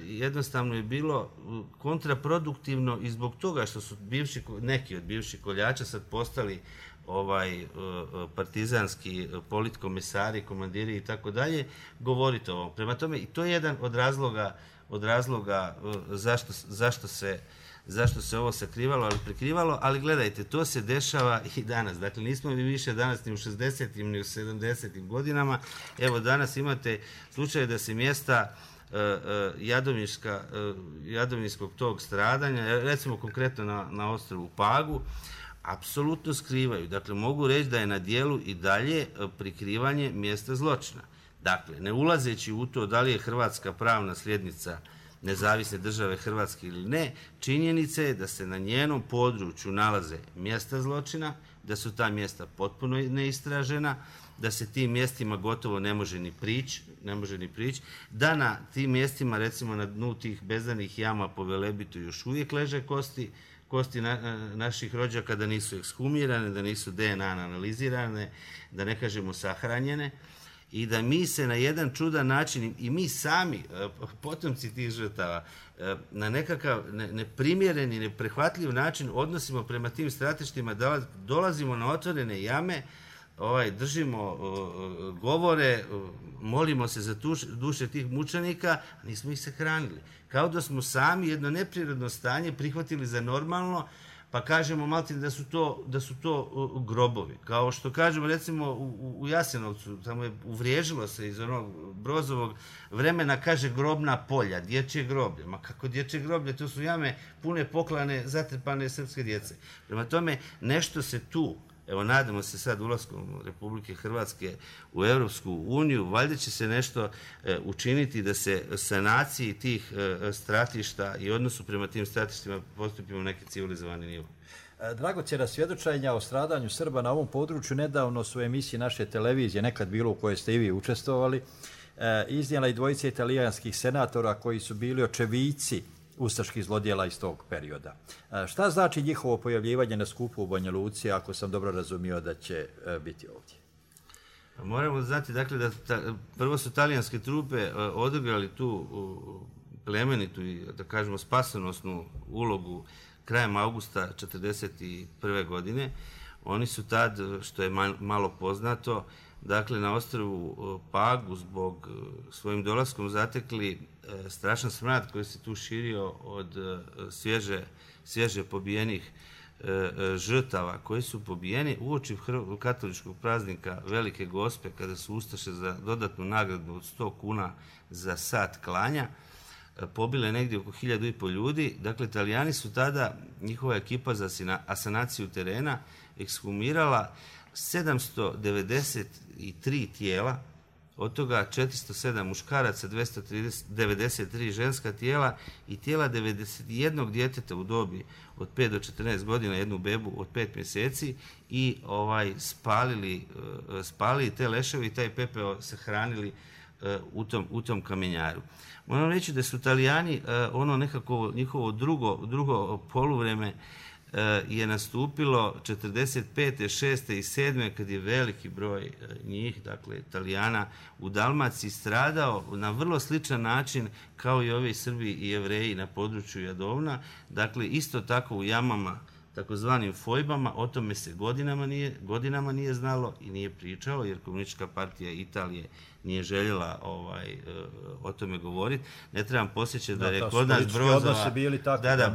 jednostavno je bilo kontraproduktivno i zbog toga što su neki od bivših koljača sad postali partizanski politkomesari, komandiri i tako dalje, govoriti o ovom. Prema tome, i to je jedan od razloga zašto se ovo sakrivalo, ali prikrivalo, ali gledajte, to se dešava i danas. Dakle, nismo mi više danas ni u 60. ni u 70. godinama. Evo, danas imate slučaj da se mjesta jadovinskog tog stradanja, recimo konkretno na ostrvu Pagu, apsolutno skrivaju. Dakle, mogu reći da je na dijelu i dalje prikrivanje mjesta zločina. Dakle, ne ulazeći u to da li je Hrvatska pravna sljednica nezavisne države Hrvatske ili ne, činjenica je da se na njenom području nalaze mjesta zločina, da su ta mjesta potpuno neistražena, da se tim mjestima gotovo ne može ni prići, da na tim mjestima, recimo na dnu tih bezdanih jama po Velebitu još uvijek leže kosti naših rođaka, da nisu ekshumirane, da nisu DNA analizirane, da ne kažemo sahranjene, i da mi se na jedan čudan način, i mi sami, potomci tih žrtava, na nekakav neprimjeren i neprihvatljiv način odnosimo prema tim stratištima, da dolazimo na otvorene jame, držimo govore, molimo se za duše tih mučenika, a nismo ih sahranili. Kao da smo sami jedno neprirodno stanje prihvatili za normalno, pa kažemo maltene da su to grobovi. Kao što kažemo recimo u Jasenovcu, tamo je uvriježilo se iz onog Brozovog vremena, kaže grobna polja, dječje groblje. Ma kako dječje groblje? To su jame pune poklane, zatrpane srpske djece. Prema tome, nešto se tu, evo nadamo se sad ulaskom Republike Hrvatske u Europsku uniju, valjda će se nešto učiniti da se sanaciji tih stratišta i odnosu prema tim stratištima postupimo u neki civilizovani nivo. Dragocjena svjedočenja o stradanju Srba na ovom području nedavno su emisije naše televizije, nekad bilo u kojoj ste i vi učestvovali, iznijela i dvojice italijanskih senatora koji su bili očevici ustaških zlodjela iz tog perioda. Šta znači njihovo pojavljivanje na skupu u Banja Luci, ako sam dobro razumio da će biti ovdje? Moramo znati, dakle, da prvo su talijanske trupe odigrali tu plemenitu i, da kažemo, spasonosnu ulogu krajem augusta 1941. godine. Oni su tad, što je malo poznato, dakle, na ostrvu Pagu zbog svojim dolaskom zatekli strašan smrad koji se tu širio od svježe pobijenih žrtava koji su pobijeni uoči katoličkog praznika Velike Gospe, kada su ustaše za dodatnu nagradu od 100 kuna za sat klanja pobile negdje oko 1500 ljudi. Dakle, Italijani su tada, njihova ekipa za asanaciju terena, ekshumirala 793 tijela, od toga 407 muškaraca, 293 ženska tijela i tijela 91 djeteta u dobi od 5 do 14 godina, jednu bebu od 5 mjeseci, i spalili te leševe i taj pepeo sahranili u tom kamenjaru. Moram reći da su Italijani, ono nekako njihovo drugo poluvreme je nastupilo 45. 6. i 7. kad je veliki broj njih, dakle Italijana, u Dalmaciji stradao na vrlo sličan način kao i ovi Srbi i Jevreji na području Jadovna. Dakle, isto tako u jamama, takozvanim fojbama. O tome se godinama nije znalo i nije pričalo, jer Komunistička partija Italije nije željela o tome govoriti. Ne trebam posjećati da je kod nas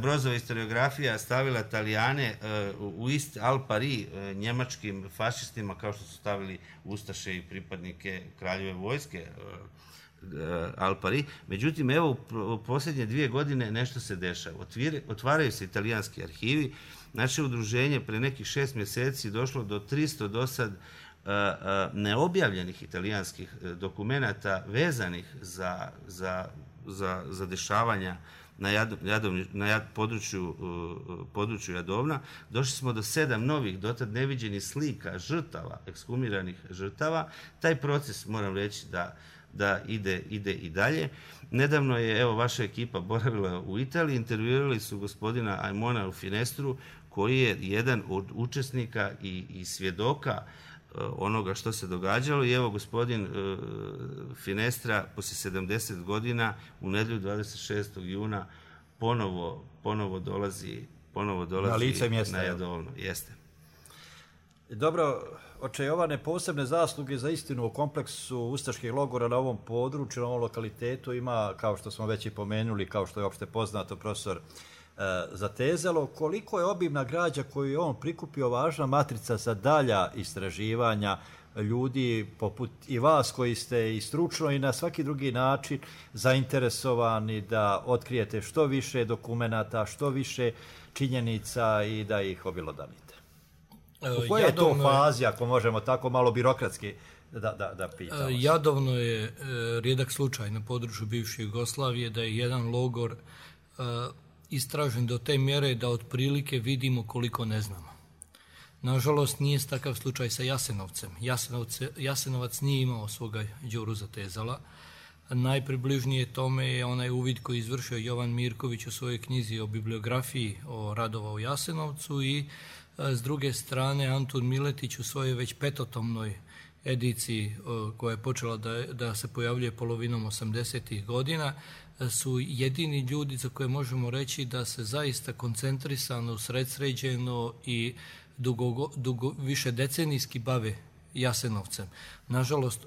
Brozova historiografija stavila Italijane u ist al pari njemačkim fašistima, kao što su stavili ustaše i pripadnike kraljeve vojske al pari. Međutim, evo, u posljednje 2 godine nešto se dešava. Otvaraju se italijanski arhivi. Naše udruženje pre nekih 6 mjeseci došlo do 300 do sad neobjavljenih italijanskih dokumenata vezanih za dešavanja na području Jadovna. Došli smo do 7 novih, dotad neviđenih slika žrtava, ekshumiranih žrtava. Taj proces, moram reći, da ide i dalje. Nedavno je, evo, vaša ekipa boravila u Italiji, intervjuirali su gospodina Aimona u Finestru, koji je jedan od učesnika i svjedoka onoga što se događalo. I evo, gospodin Finestra poslije 70 godina u nedjelju 26. juna ponovo dolazi na lice mjesta, na Jadovno. Jeste. Dobro, oče Jovane, posebne zasluge za istinu o kompleksu ustaških logora na ovom području, na ovom lokalitetu ima, kao što smo već i pomenuli, kao što je opšte poznato, profesor zatezalo. Koliko je obimna građa koju je on prikupio važna matrica za dalja istraživanja ljudi poput i vas koji ste i stručno i na svaki drugi način zainteresovani da otkrijete što više dokumenata, što više činjenica i da ih obilodanite? U kojoj je to fazi, ako možemo tako malo birokratski da pitamo? Jadovno je rijedak slučaj na području bivše Jugoslavije da je jedan logor istražen do te mjere da otprilike vidimo koliko ne znamo. Nažalost, nije takav slučaj sa Jasenovcem. Jasenovac nije imao svoga Đuru Zatezala. Najpribližnije tome je onaj uvid koji izvršio Jovan Mirković u svojoj knjizi o bibliografiji o radova u Jasenovcu i s druge strane Antun Miletić u svojoj već 5-tomnoj ediciji koja je počela da se pojavljuje polovinom 80. godina su jedini ljudi za koje možemo reći da se zaista koncentrisano, usredsređeno i više decenijski bave Jasenovcem. Nažalost,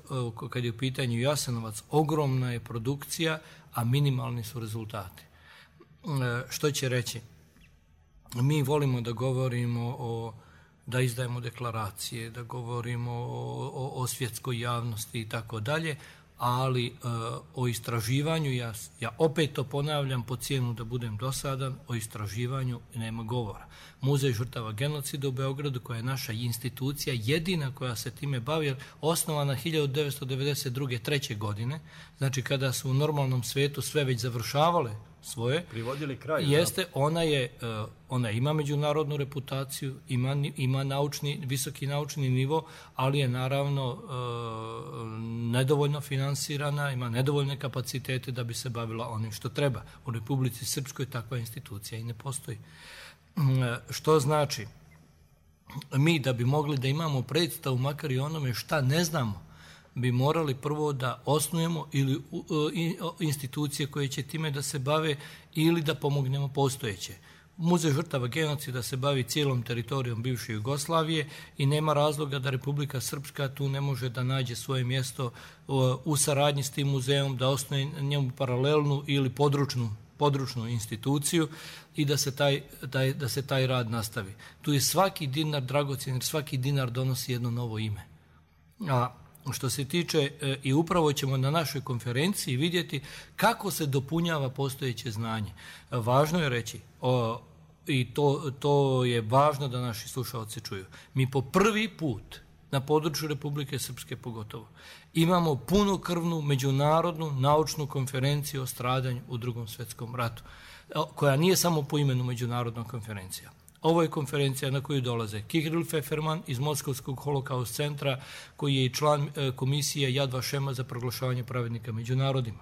kad je u pitanju Jasenovac, ogromna je produkcija, a minimalni su rezultati. Što će reći? Mi volimo da govorimo da izdajemo deklaracije, da govorimo o svjetskoj javnosti i tako dalje, ali o istraživanju, ja opet to ponavljam po cijenu da budem dosadan, o istraživanju nema govora. Muzej žrtava genocida u Beogradu, koja je naša institucija, jedina koja se time bavi, osnovana 1992. 3. godine, znači kada su u normalnom svijetu sve već završavale svoje, privodili kraj, jeste, ona ima međunarodnu reputaciju, ima visoki naučni nivo, ali je naravno nedovoljno finansirana, ima nedovoljne kapacitete da bi se bavila onim što treba. U Republici Srpskoj takva institucija i ne postoji. Što znači, mi da bi mogli da imamo predstavu makar i onome šta ne znamo, bi morali prvo da osnujemo ili institucije koje će time da se bave ili da pomognemo postojeće. Muzej žrtava genocida se bavi cijelom teritorijom bivše Jugoslavije i nema razloga da Republika Srpska tu ne može da nađe svoje mjesto u saradnji s tim muzejom, da osnuje njemu paralelnu ili područnu instituciju i da se taj rad nastavi. Tu je svaki dinar dragocjen, jer svaki dinar donosi jedno novo ime. A što se tiče, i upravo ćemo na našoj konferenciji vidjeti kako se dopunjava postojeće znanje. Važno je reći, i to je važno da naši slušalci čuju, mi po prvi put na području Republike Srpske pogotovo imamo punokrvnu međunarodnu naučnu konferenciju o stradanju u Drugom svjetskom ratu, koja nije samo po imenu međunarodna konferencija. Ovo je konferencija na koju dolaze Kirill Pfefferman iz Moskovskog holokaust centra, koji je i član komisije Yad Vašema za proglašavanje pravednika među narodima.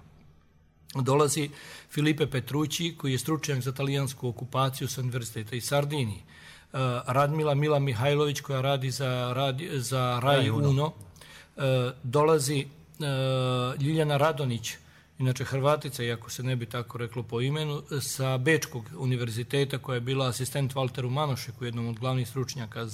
Dolazi Filipe Petrući, koji je stručnjak za talijansku okupaciju sa Univerziteta iz Sardiniji. Radmila Mila Mihajlović, koja radi za Raj Uno. Dolazi Ljiljana Radonić, inače Hrvatica, iako se ne bi tako reklo po imenu, sa Bečkog univerziteta, koja je bila asistent Valteru Manošeku, jednom od glavnih stručnjaka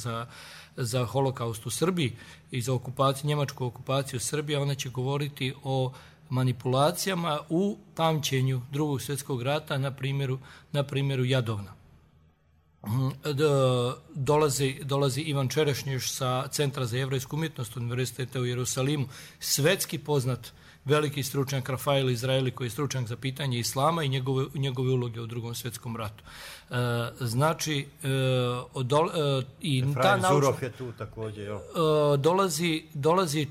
za holokaust u Srbiji i za njemačku okupaciju Srbije. Ona će govoriti o manipulacijama u pamćenju Drugog svjetskog rata na primjeru Jadovna. Dolazi Ivan Čerešnješ sa Centra za jevrejsku umjetnost Univerziteta u Jerusalimu, svetski poznat veliki stručnjak Rafael Izraeli koji je stručnjak za pitanje islama i njegove uloge u Drugom svjetskom ratu. Znači, i ta Zurov je tu također. Dolazi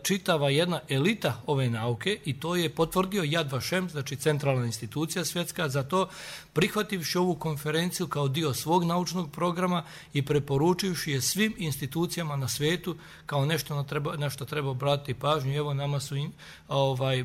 čitava jedna elita ove nauke i to je potvrdio Yad Vashem, znači centralna institucija svjetska, za to prihvativši ovu konferenciju kao dio svog naučnog programa i preporučivši je svim institucijama na svijetu kao nešto na što treba obratiti pažnju. Evo, nama su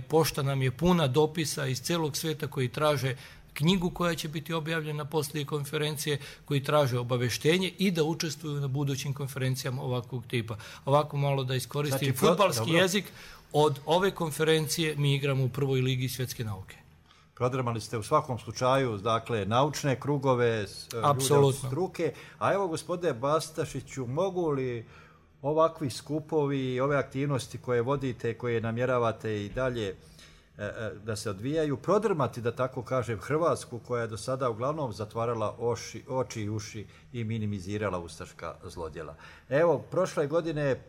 pošta nam je puna dopisa iz cijelog svijeta koji traže knjigu koja će biti objavljena poslije konferencije, koji traže obaveštenje i da učestvuju na budućim konferencijama ovakvog tipa. Ovako malo da iskoristim fudbalski jezik, od ove konferencije mi igramo u prvoj ligi svjetske nauke. Prodrmali ste u svakom slučaju, dakle, naučne krugove, ljude od struke. A evo, gospodine Bastašiću, mogu li ovakvi skupovi, ove aktivnosti koje vodite, koje namjeravate i dalje da se odvijaju, prodrmati, da tako kažem, Hrvatsku, koja je do sada uglavnom zatvarala oči i uši i minimizirala ustaška zlodjela? Evo, prošle godine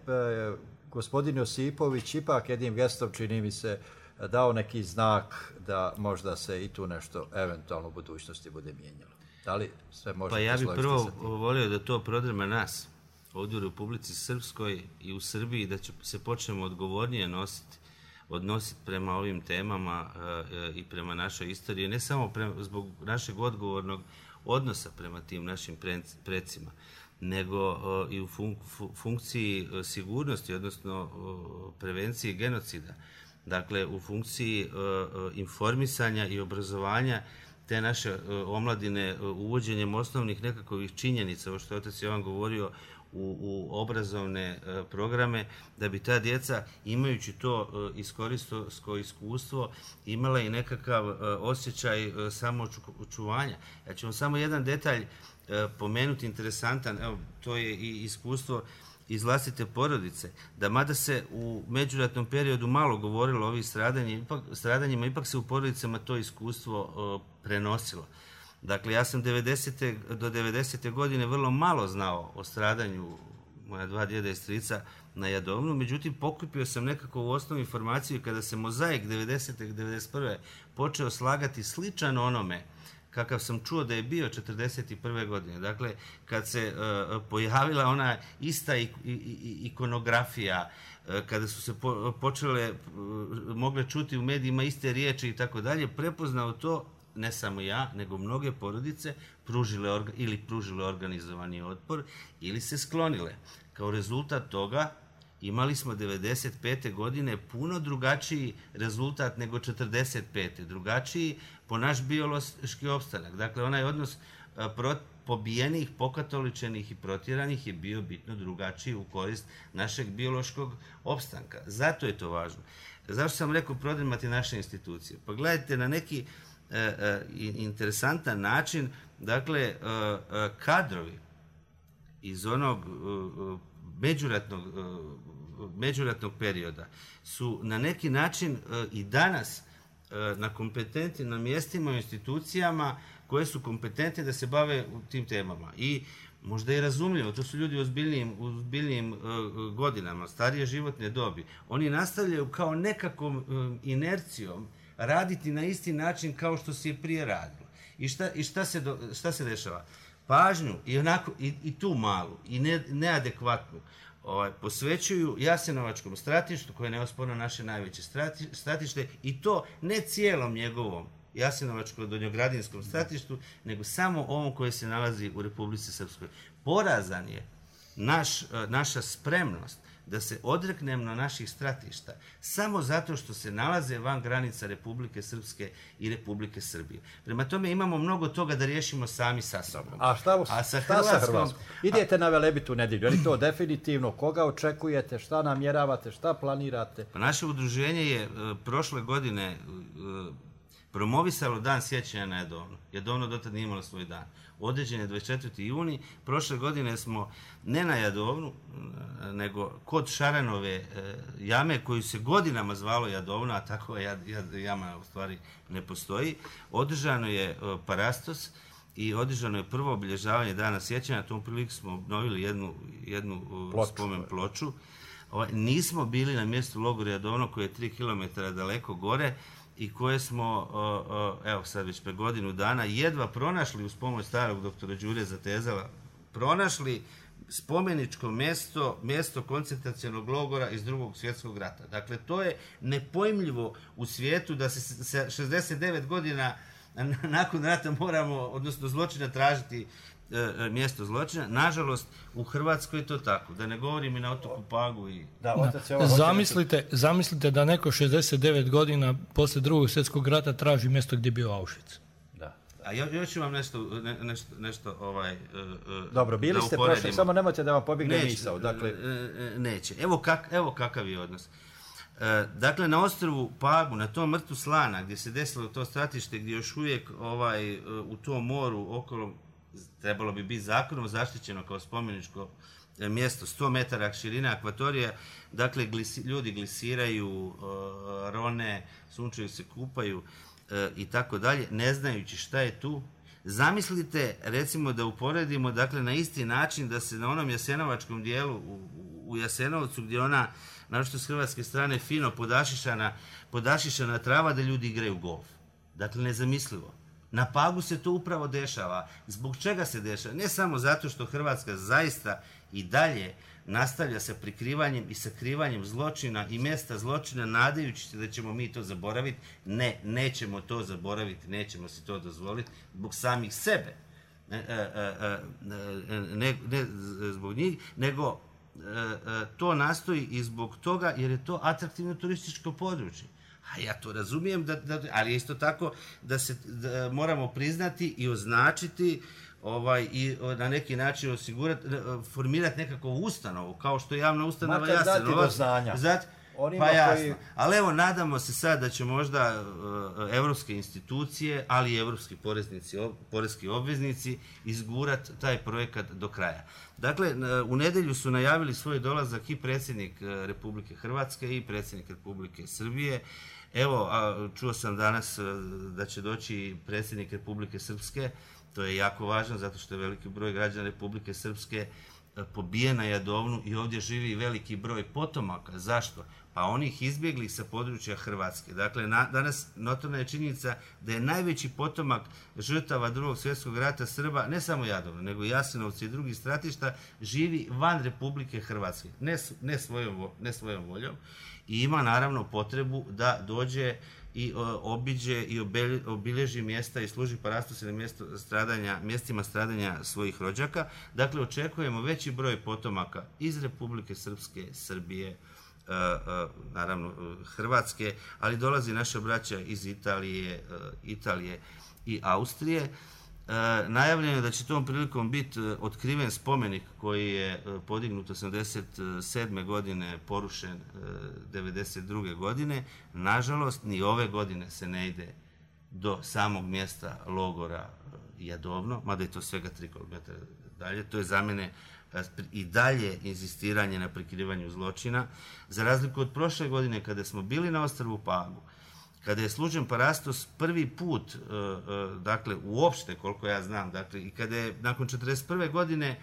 gospodin Josipović ipak jednim gestom, čini mi se, dao neki znak da možda se i tu nešto eventualno u budućnosti bude mijenjalo. Da li sve možete složiti sa tim? Pa ja bih prvo volio da to prodrma nas ovdje u Republici Srpskoj i u Srbiji, da se počnemo odgovornije odnositi prema ovim temama i prema našoj istoriji, ne samo zbog našeg odgovornog odnosa prema tim našim precima, nego i u funkciji sigurnosti, odnosno prevencije genocida. Dakle, u funkciji informisanja i obrazovanja te naše omladine uvođenjem osnovnih nekakvih činjenica, ovo što je otac Jovan govorio, u obrazovne programe, da bi ta djeca, imajući to istorijsko iskustvo, imala i nekakav osjećaj samoočuvanja. Ja ću vam samo jedan detalj pomenuti interesantan, evo, to je i iskustvo iz vlastite porodice, da mada se u međuratnom periodu malo govorilo o ovih stradanjima, ipak se u porodicama to iskustvo prenosilo. Dakle, ja sam do 90. godine vrlo malo znao o stradanju moja dva djeda i strica na Jadovnu, međutim pokupio sam nekako u osnovu informaciju kada se mozaik 90. i 91. počeo slagati sličan onome kakav sam čuo da je bio 41. godine. Dakle, kad se pojavila ona ista ikonografija, kada su se mogle čuti u medijima iste riječi i tako dalje, prepoznao to ne samo ja, nego mnoge porodice pružile organizovani otpor ili se sklonile. Kao rezultat toga imali smo 95. godine puno drugačiji rezultat nego 45. Drugačiji po naš biološki opstanak. Dakle, onaj odnos pobijenih, pokatoličenih i protjeranih je bio bitno drugačiji u korist našeg biološkog opstanka. Zato je to važno. Zašto sam rekao prodrmati naše institucije? Pa gledajte, na neki interesantan način, dakle, kadrovi iz onog međuratnog perioda su na neki način i danas na kompetentnim na mjestima u institucijama koje su kompetentne da se bave tim temama. I možda je razumljivo, to su ljudi u ozbiljnijim godinama, starije životne dobi. Oni nastavljaju kao nekakvom inercijom raditi na isti način kao što se je prije radilo. I šta se dešava? Pažnju i tu malu i neadekvatnu posvećuju Jasenovačkom stratištu, koje je neosporno naše najveće stratište, i to ne cijelom njegovom Jasenovačko-donjogradinskom stratištu, nego samo ovom koje se nalazi u Republici Srpskoj. Porazan je naša spremnost da se odreknemo naših stratišta samo zato što se nalaze van granica Republike Srpske i Republike Srbije. Prema tome imamo mnogo toga da riješimo sami sa sobom. A šta sa Hrvatskom? Idete na Velebitu nedjelju, je li to definitivno? Koga očekujete, šta namjeravate, šta planirate? Pa naše udruženje je prošle godine promovisalo dan sjećanja na Jadovnu. Jadovno dotad nije imalo svoj dan. Određen je 24. juni. Prošle godine smo ne na Jadovnu, nego kod Šaranove jame, koju se godinama zvalo Jadovna, a tako jama u stvari ne postoji. Održano je parastos i održano je prvo obilježavanje dana sjećanja. Tom priliku smo obnovili jednu spomen ploču. nismo bili na mjestu logora Jadovno koje je 3 km daleko gore i koje smo, evo sad već pre godinu dana, jedva pronašli uz pomoć starog doktora Đure Zatezala, pronašli spomeničko mjesto koncentracionog logora iz Drugog svjetskog rata. Dakle, to je nepojmljivo u svijetu da se 69 godina nakon rata moramo, odnosno zločina, tražiti mjesto zločina. Nažalost, u Hrvatskoj je to tako. Da ne govorim i na otoku Pagu. Zamislite da neko 69 godina poslije Drugog svjetskog rata traži mjesto gdje je bio Auschwitz. A još ću vam nešto dobro, bili ste prošli, samo nemojte da vam pobjegne misao. Dakle... Neće. Evo kakav je odnos. Dakle, na ostrvu Pagu, na tom mrtu Slana, gdje se desilo to stratište, gdje još uvijek u tom moru okolo trebalo bi biti zakonom zaštićeno kao spomeničko mjesto, 100 metara širina akvatorija, dakle, ljudi glisiraju, rone, sunčaju se, kupaju i tako dalje, ne znajući šta je tu. Zamislite, recimo, da uporedimo, dakle, na isti način da se na onom jasenovačkom dijelu u Jasenovcu, gdje ona, naročito s hrvatske strane, fino podašišana trava, da ljudi igraju golf. Dakle, nezamislivo. Na Pagu se to upravo dešava. Zbog čega se dešava? Ne samo zato što Hrvatska zaista i dalje nastavlja sa prikrivanjem i sakrivanjem zločina i mjesta zločina, nadajući se da ćemo mi to zaboraviti. Ne, nećemo to zaboraviti, nećemo si to dozvoliti zbog samih sebe. Ne zbog njih, nego to nastoji i zbog toga jer je to atraktivno turističko područje. A ja to razumijem, ali isto tako da moramo priznati i označiti i na neki način osigurati, formirati nekakvu ustanovu, kao što je javna ustanova Jasenovac. Pa jasno. Ali evo, nadamo se sad da će možda evropske institucije, ali i evropski poreski obveznici izgurati taj projekat do kraja. Dakle, u nedjelju su najavili svoj dolazak i predsjednik Republike Hrvatske i predsjednik Republike Srbije. Evo, čuo sam danas da će doći predsjednik Republike Srpske. To je jako važno zato što je veliki broj građana Republike Srpske pobijen na Jadovnu i ovdje živi veliki broj potomaka. Zašto? Pa onih izbjeglih sa područja Hrvatske. Dakle, danas notorna je činjenica da je najveći potomak žrtava Drugog svjetskog rata Srba, ne samo Jadovna, nego Jasenovci i drugih stratišta, živi van Republike Hrvatske. Ne svojom voljom. I ima naravno potrebu da dođe i obiđe i obilježi mjesta i služi parastu se na mjestima stradanja svojih rođaka. Dakle, očekujemo veći broj potomaka iz Republike Srpske, Srbije, naravno Hrvatske, ali dolazi naša braća iz Italije i Austrije. Najavljeno je da će tom prilikom biti otkriven spomenik koji je podignut 87. godine, porušen 92. godine. Nažalost, ni ove godine se ne ide do samog mjesta logora Jadovno, mada je to svega 3 km dalje. To je za mene i dalje inzistiranje na prikrivanju zločina. Za razliku od prošle godine kada smo bili na ostrvu Pagu, kada je služen parastos prvi put, dakle, uopšte, koliko ja znam, dakle, i kada je nakon 1941. godine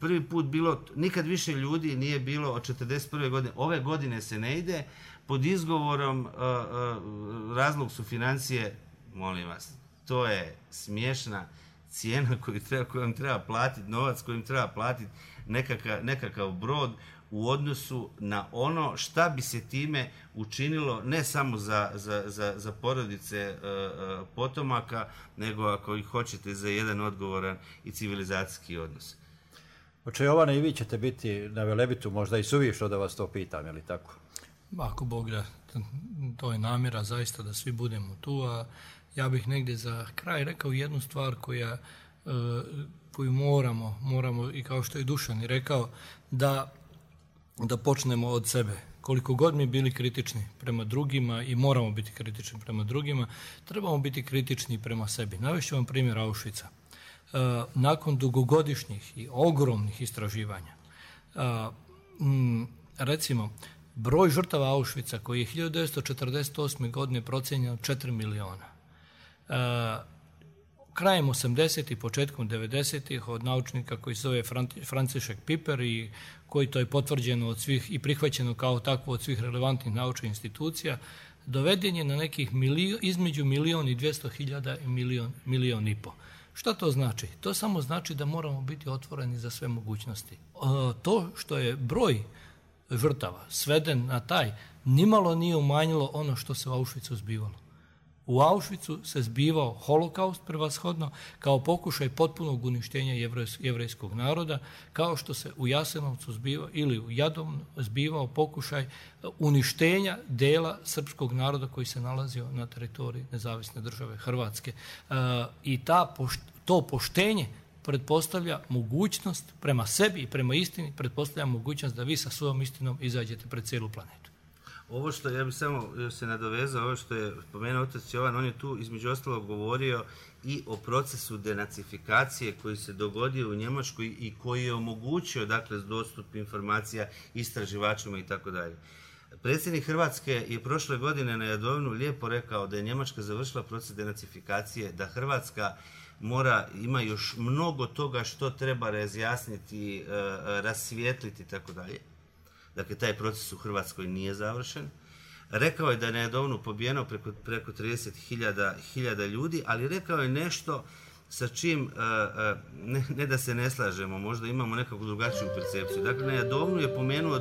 prvi put bilo, nikad više ljudi nije bilo od 1941. godine, ove godine se ne ide, pod izgovorom razlog su financije, molim vas, to je smiješna cijena kojom treba platiti, novac kojim treba platiti nekakav brod u odnosu na ono šta bi se time učinilo ne samo za porodice potomaka, nego ako ih hoćete za jedan odgovoran i civilizacijski odnos. Oče Jovane, i vi ćete biti na Velebitu, možda i suvišno da vas to pitam, je li tako? Ako Bog da, to je namjera zaista da svi budemo tu, a ja bih negdje za kraj rekao jednu stvar koju moramo i kao što je Dušan i rekao, da počnemo od sebe. Koliko god mi bili kritični prema drugima i moramo biti kritični prema drugima, trebamo biti kritični prema sebi. Navešću vam primjer Auschwitza. Nakon dugogodišnjih i ogromnih istraživanja, recimo, broj žrtava Auschwitza koji je 1948. godine procijenjen 4 miliona. krajem 80-ih, početkom 90-ih od naučnika koji se zove Franciszek Piper i koji to je potvrđeno od svih i prihvaćeno kao takvo od svih relevantnih naučnih institucija, doveden je na nekih između 1.200.000 i 1,5 milijuna. Šta to znači? To samo znači da moramo biti otvoreni za sve mogućnosti. To što je broj žrtava sveden na taj, nimalo nije umanjilo ono što se u Auschwitzu zbivalo. U Auschwitzu se zbivao holokaust prevashodno kao pokušaj potpunog uništenja jevrejskog naroda, kao što se u Jasenovcu zbivao ili u Jadovnu zbivao pokušaj uništenja dela srpskog naroda koji se nalazio na teritoriji nezavisne države Hrvatske. I to poštenje pretpostavlja mogućnost prema sebi i prema istini, pretpostavlja mogućnost da vi sa svojom istinom izađete pred cijelu planetu. Ovo što ja bih samo se nadovezao, ovo što je spomenuo otac Jovan, on je tu između ostalog govorio i o procesu denacifikacije koji se dogodio u Njemačkoj i koji je omogućio, dakle, dostup informacija istraživačima i tako dalje. Predsjednik Hrvatske je prošle godine na Jadovnu lijepo rekao da je Njemačka završila proces denacifikacije, da Hrvatska ima još mnogo toga što treba razjasniti, rasvijetliti i tako dalje. Dakle, taj proces u Hrvatskoj nije završen. Rekao je da je na Jadovnu pobijeno preko 30.000 ljudi, ali rekao je nešto sa čim, ne da se ne slažemo, možda imamo nekakvu drugačiju percepciju. Dakle, na Jadovnu je pomenuo